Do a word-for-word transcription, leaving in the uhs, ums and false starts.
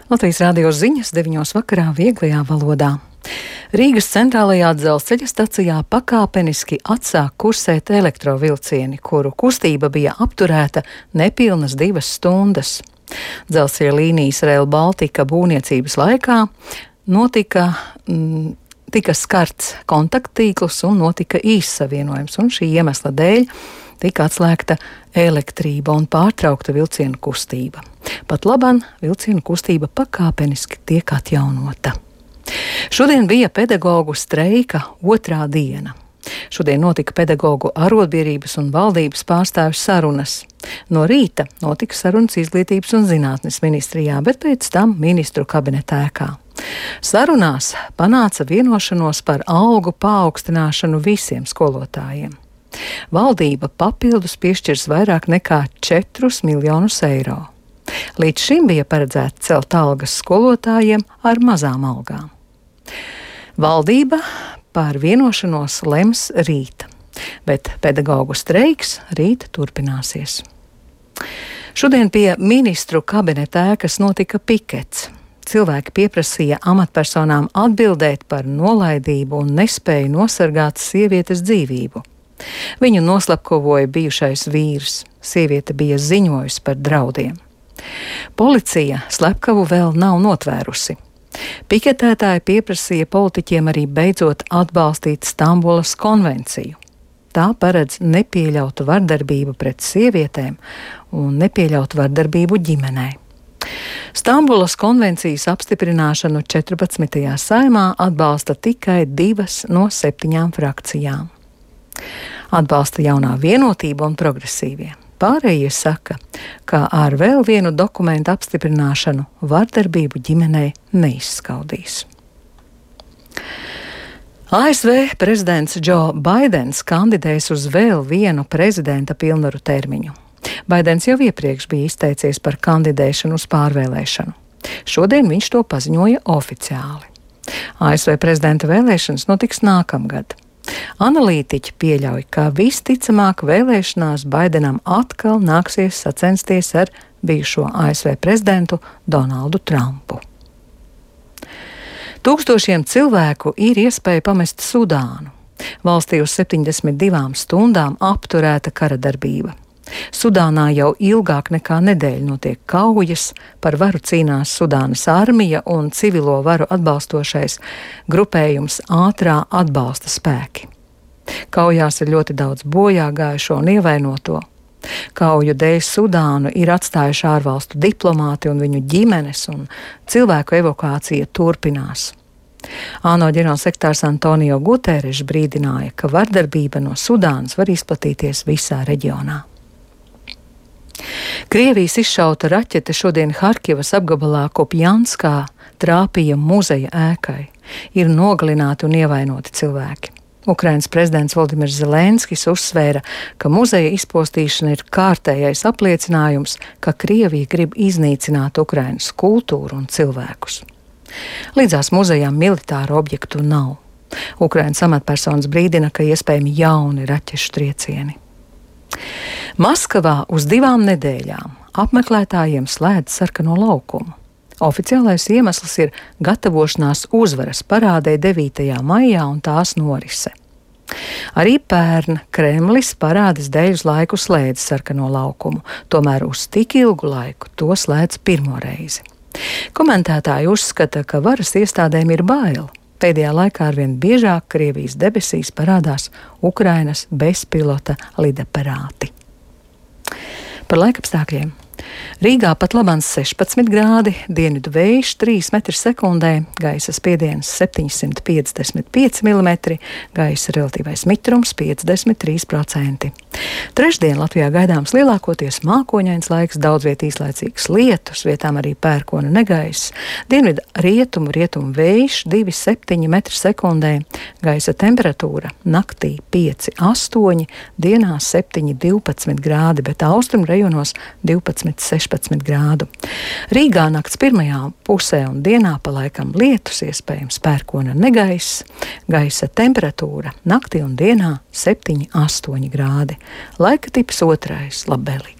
Latvijas Rādio ziņas deviņos vakarā vieglajā valodā. Rīgas centrālajā dzelzceļa stacijā pakāpeniski atsāk kursēt elektrovilcieni, kuru kustība bija apturēta nepilnas divas stundas. Dzelzceļa līnijas Rail Baltica būvniecības laikā notika, mm, tika skarts kontakttīkls un notika īss savienojums, un šī iemesla dēļ tika atslēgta elektrība un pārtraukta vilcienu kustība. Pat laban vilcienu kustība pakāpeniski tiek atjaunota. Šodien bija pedagoģu streika otrā diena. Šodien notika pedagoģu arotbiedrības un valdības pārstāvju sarunas. No rīta notika sarunas Izglītības un zinātnes ministrijā, bet pēc tam ministru kabineta ēkā. Sarunās panāca vienošanos par algu paaugstināšanu visiem skolotājiem. Valdība papildus piešķirs vairāk nekā četrus miljonus eiro. Līdz šim bija paredzēts celt algas skolotājiem ar mazām algām. Valdība par vienošanos lems rīt, bet pedagoģu streiks rīt turpināsies. Šodien pie ministru kabineta ēkas notika pikets. Cilvēki pieprasīja amatpersonām atbildēt par nolaidību un nespēju nosargāt sievietes dzīvību. Viņu noslapkavoja bijušais vīrs. Sieviete bija ziņojusi par draudiem. Policija slepkavu vēl nav notvērusi. Piketētāji pieprasīja politiķiem arī beidzot atbalstīt Stambulas konvenciju. Tā paredz nepieļautu vardarbību pret sievietēm un nepieļautu vardarbību ģimenē. Stambulas konvencijas apstiprināšanu četrpadsmitajā saimā atbalsta tikai divas no septiņām frakcijām. Atbalsta jaunā vienotība un progresīvie. Pārējie saka, ka ar vēl vienu dokumentu apstiprināšanu vardarbību ģimenei neizskaudīs. A S V prezidents Džo Baidens kandidēs uz vēl vienu prezidenta pilnvaru termiņu. Baidens jau iepriekš bija izteicies par kandidēšanu uz pārvēlēšanu. Šodien viņš to paziņoja oficiāli. A S V prezidenta vēlēšanas notiks nākamgad. Analītiķi pieļauj, ka visticamāk vēlēšanās Baidenam atkal nāksies sacensties ar bijušo A S V prezidentu Donaldu Trumpu. Tūkstošiem cilvēku ir iespēja pamest Sudānu. Valstī uz septiņdesmit divām stundām apturēta kara darbība. Sudānā jau ilgāk nekā nedēļu notiek kaujas, par varu cīnās Sudānas armija un civilo varu atbalstošais grupējums ātrā atbalsta spēki. Kaujās ir ļoti daudz bojā gājušo un ievainoto. Kauju dēļ Sudānu ir atstājuši ārvalstu diplomāti un viņu ģimenes, un cilvēku evakuācija turpinās. ANO ģenerālsekretārs Antonio Guterres brīdināja, ka vardarbība no Sudānas var izplatīties visā reģionā. Krievijas izšauta raķete šodien Harkivas apgabalā Kopjanskā trāpīja muzeja ēkai. Ir nogalināti un ievainoti cilvēki. Ukrainas prezidents Voldimirs Zelenskis uzsvēra, ka muzeja izpostīšana ir kārtējais apliecinājums, ka Krievija grib iznīcināt Ukrainas kultūru un cilvēkus. Līdzās muzejām militāru objektu nav. Ukrainas amatpersonas brīdina, ka iespējami jauni raķešu triecieni. Maskavā uz divām nedēļām apmeklētājiem slēdz sarkano laukumu. Oficiālais iemesls ir gatavošanās uzvaras parādei devītajā maijā un tās norise. Arī pērn Kremlis parādes dēļ uz laiku slēdz sarkano laukumu, tomēr uz tik ilgu laiku to slēdz pirmo reizi. Komentētāji uzskata, ka varas iestādēm ir bail. Pēdējā laikā arvien biežāk Krievijas debesīs parādās Ukrainas bezpilota lidaparāti. Par laikapstākļiem. Rīgā pat labans sešpadsmit grādi, dienvidu vējš trīs metri sekundē, gaisa spiediens septiņsimt piecdesmit pieci milimetri, gaisa relatīvais mitrums piecdesmit trīs procenti. Trešdien Latvijā gaidāms lielākoties mākoņains laiks, daudz viet īslaicīgs lietus, vietām arī pērkona negaiss. Dienvidu rietumu, rietumu vējš divi septiņi metri sekundē, gaisa temperatūra naktī pieci astoņi, dienā septiņi divpadsmit grādi, bet austrumu rajonos divpadsmit sešpadsmit grādu. Rīgā nakts pirmajā pusē un dienā pa laikam lietus, iespējams pērkona negaiss, gaisa temperatūra naktī un dienā septiņi astoņi grādi. Laika tips otrais labvēlīgs.